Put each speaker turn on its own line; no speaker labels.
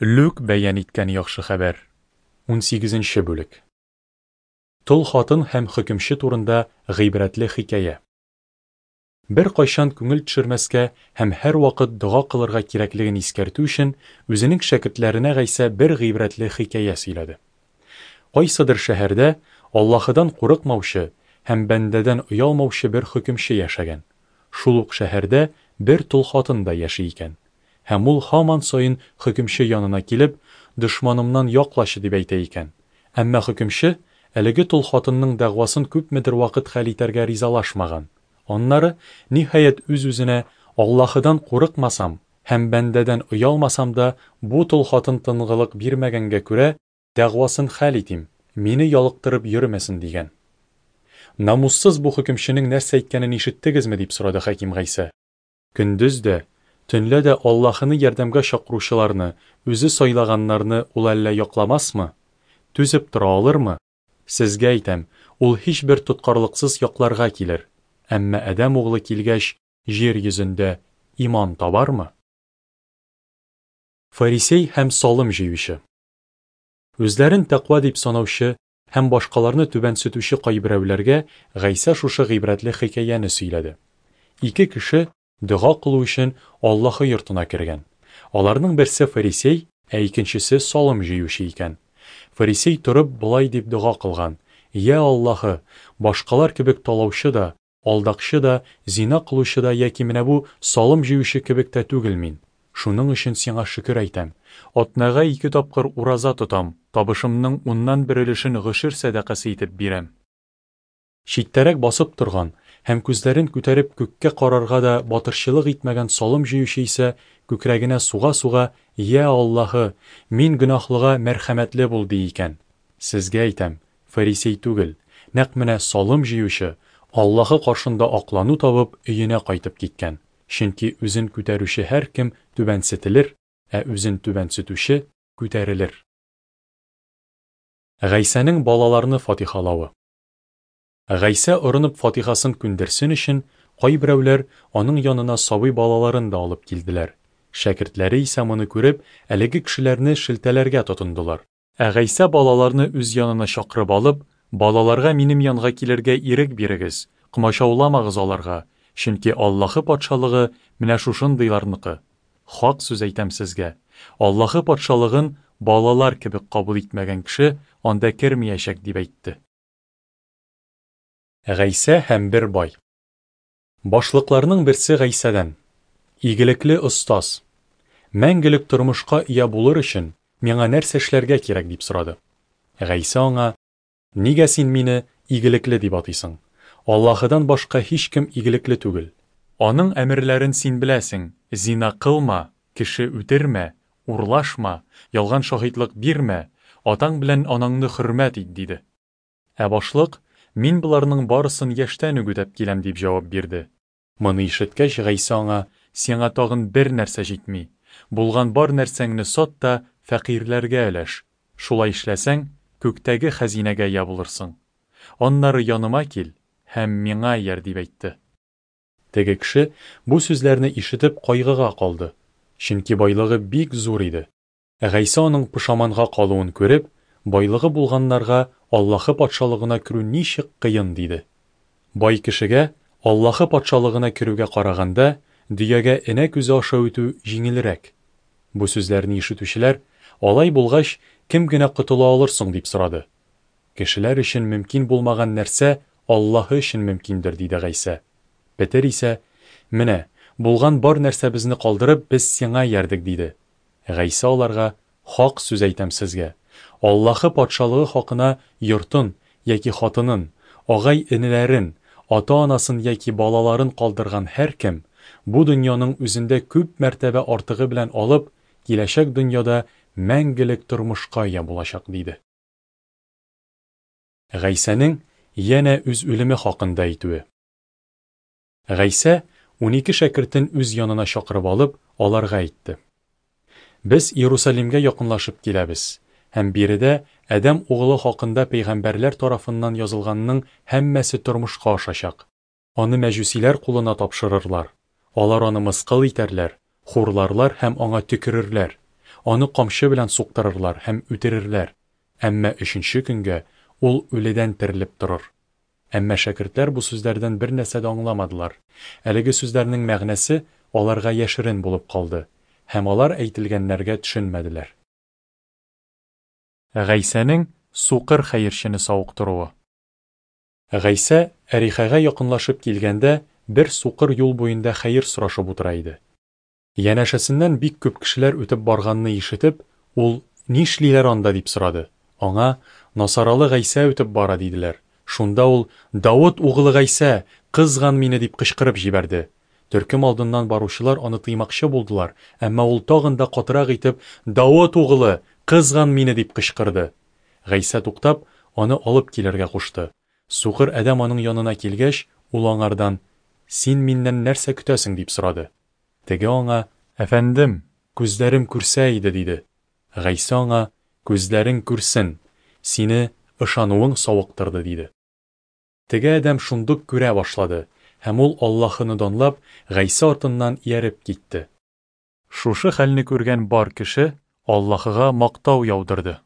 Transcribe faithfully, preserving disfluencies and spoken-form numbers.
Лүк бәян иткән Яхшы хәбәр, унсигезенче бүлек. Тол хатын һәм хөкемче турында гыйбрәтле хикәя. Беркайчан күңел төшермәскә һәм һәрвакыт дога кылырга кирәклеген искәртү өчен, үзенең шәкертләренә Гайсә бер гыйбрәтле хикәя сөйләде. Кайсыдыр шәһәрдә Аллаһыдан курыкмаучы һәм бәндәдән оялмаучы бер хөкемче яшәгән. Шул ук шәһәрдә бер тол хатын да яши икән. Һәм ул һаман саен хөкемче янына килеп, дошманымнан яклачы дип әйтә икән. Әмма хөкемче әлеге тол хатынның дәгъвасын күпмедер вакыт хәл итәргә ризалашмаган. Аннары, ниһаять, үз-үзенә: Аллаһыдан курыкмасам һәм бәндәдән оялмасам да, бу тол хатын тынгылык бирмәгәнгә күрә, дәгъвасын хәл итим, мине ялыктырып йөрмәсен, дигән. Намуссыз бу хөкемченең нәрсә әйткәнен ишеттегезме, дип сорады хаким Гайсә. Көндез дә, төнлә дә Аллаһыны ярдәмгә чакыручыларны, үзе сайлаганнарны ул әллә якламасмы? Түзеп тора алырмы? Сезгә әйтәм, ул һичбер тоткарлыксыз якларга килер. Әмма Адәм углы килгәч, җир йөзендә иман табармы? Фарисей һәм салым җыючы. Үзләрен тәкъва дип санаучы һәм башкаларны түбәнсетүче кайберәүләргә Гайсә шушы гыйбрәтле хикәяне сөйләде. Ике кеше дога кылу өчен Аллаһы йортына кергән. Аларның берсе фарисей, ә икенчесе салым җыючы икән. Фарисей торып болай дип дога кылган: "Йә Аллаһы, башкалар кебек талаучы да, алдакчы да, зина кылучы да яки менә бу салым җыючы кебек тә түгел мин. Шуның өчен сиңа шөкер әйтәм. Атнага ике тапкыр ураза тотам, табышымның уннан бер өлешен гошер сәдакасы итеп бирәм." Читтәрәк басып торган һәм күзләрен күтәреп күккә карарга да батырчылык итмәгән салым җыючы исә күкрәгенә суга-суга: "Йә Аллаһы, мин гөнаһлыга мәрхәмәтле бул", ди икән. Сезгә әйтәм, фарисей түгел, нәкъ менә салым җыючы Аллаһы каршында аклану табып өенә кайтып киткән. Чөнки үзен күтәрүче һәркем түбәнсетелер, ә үзен түбәнсетүче күтәрелер. Гайсәнең балаларны фатихалавы. Гайсә орынып фатихасын күндерсен өчен, кайберәүләр аның янына сабый балаларын да алып килделәр. Шәкертләре исә моны күреп, әлеге кешеләрне шелтәләргә тотындылар. Ә Гайсә балаларны үз янына чакырып алып: "Балаларга минем янга килергә ирек бирегез, комачауламагыз аларга, чөнки Аллаһы патшалыгы менә шушындыйларныкы. Хак сүз әйтәм сезгә, Аллаһы патшалыгын балалар кебек кабул итмәгән кеше анда кермәячәк", дип әйтте. Гайсә һәм бер бай. Башлыкларның берсе Гайсәдән: "Игелекле остаз, мәңгелек тормышка ия булыр өчен миңа нәрсә эшләргә кирәк?" дип сорады. Гайсә аңа: "Нигә син мине игелекле дип атыйсың? Аллаһыдан башка һичкем игелекле түгел. Аның әмерләрен син беләсең: зина кылма, кеше үтермә, урлашма, ялган шаһитлык бирмә, атаң белән анаңны хөрмәт ит", диде. Ә башлык: "Мин боларның барысын яшьтән үк үтәп киләм", дип җавап бирде. Моны ишеткәч, Гайсә аңа: "Сиңа тагын бер нәрсә җитми. Булган бар нәрсәңне сат та фәкыйрьләргә өләш. Шулай эшләсәң, күктәге хәзинәгә ия булырсың. Аннары яныма кил һәм миңа ияр", дип әйтте. Теге кеше бу сүзләрне ишетеп кайгыга калды, чөнки байлыгы бик зур иде. Гайсә аның пошаманга калуын күреп: "Байлыгы булганнарга Аллаһы патшалыгына керү ничек кыен", диде. Бай кешегә Аллаһы патшалыгына керүгә караганда, дөягә энә күзе аша үтү җиңелрәк. Бу сүзләрне ишетүчеләр: "Алай булгач, кем генә котыла алыр соң?" дип сорады. "Кешеләр өчен мөмкин булмаган нәрсә Аллаһы өчен мөмкиндер", диде Гайсә. Петер исә: "Менә, булган бар нәрсәбезне калдырып, без сиңа иярдек", диде. Гайсә аларга: "Хак сүз әйтәм сезгә, Аллаһы патшалыгы хакына йортын яки хатынын, агай-энеләрен, ата-анасын яки балаларын калдырган һәркем бу дөньяның үзендә күп мәртәбә артыгы белән алып, киләчәк дөньяда мәңгелек тормышка ия булачак", диде. Гайсәнең янә үз үлеме хакында әйтүе. Гайсә унике шәкертен үз янына чакырып алып, аларга әйтте: "Без Иерусалимгә якынлашып киләбез, һәм биредә Адәм углы хакында пәйгамбәрләр тарафыннан язылганның һәммәсе тормышка ашачак. Аны мәҗүсиләр кулына тапшырырлар. Алар аны мыскыл итәрләр, хурларлар һәм аңа төкерерләр. Аны камчы белән суктырырлар һәм үтерерләр, әмма өченче көнгә ул үледән терелеп торыр. Әмма шәкертләр бу сүзләрдән бернәрсә дә аңламадылар. Әлеге сүзләрнең мәгънәсе аларга яшерен булып калды, һәм алар әйтелгәннәргә төшенмәделәр. Гайсәнең сукыр хәерчене савыктыруы. Гайсә Әрихәгә якынлашып килгәндә, бер сукыр юл буенда хәер сорашып утыра иде. Янәшәсеннән бик күп кешеләр үтеп барганны ишетеп, ул: "Нишлиләр анда?" – дип сорады. Аңа: "Насаралы Гайсә үтеп бара", – диделәр. Шунда ул: "Давыт угылы Гайсә, кызган мине!" – дип кычкырып җибәрде. Төркем алдыннан баручылар аны тыймакчы булдылар, әмма ул тагын да катырак итеп: "Давыт угылы, кызган мине!" – дип кычкырды. Гайсә туктап, аны алып килергә кушты. Сукыр адәм аның янына килгәч, ул аңардан: "Син миннән нәрсә көтәсең?" – дип сорады. Теге аңа: "Әфәндем, күзләрем күрсә иде", – диде. Гайсә аңа: "Күзләрең күрсен, сине ышануың савыктырды", – диде. Теге адәм шундук күрә башлады, һәм ул Аллаһыны данлап, Гайсә артыннан ияреп китте. Шушы хәлне күргән бар кеше Аллаһыга мактау яудырды.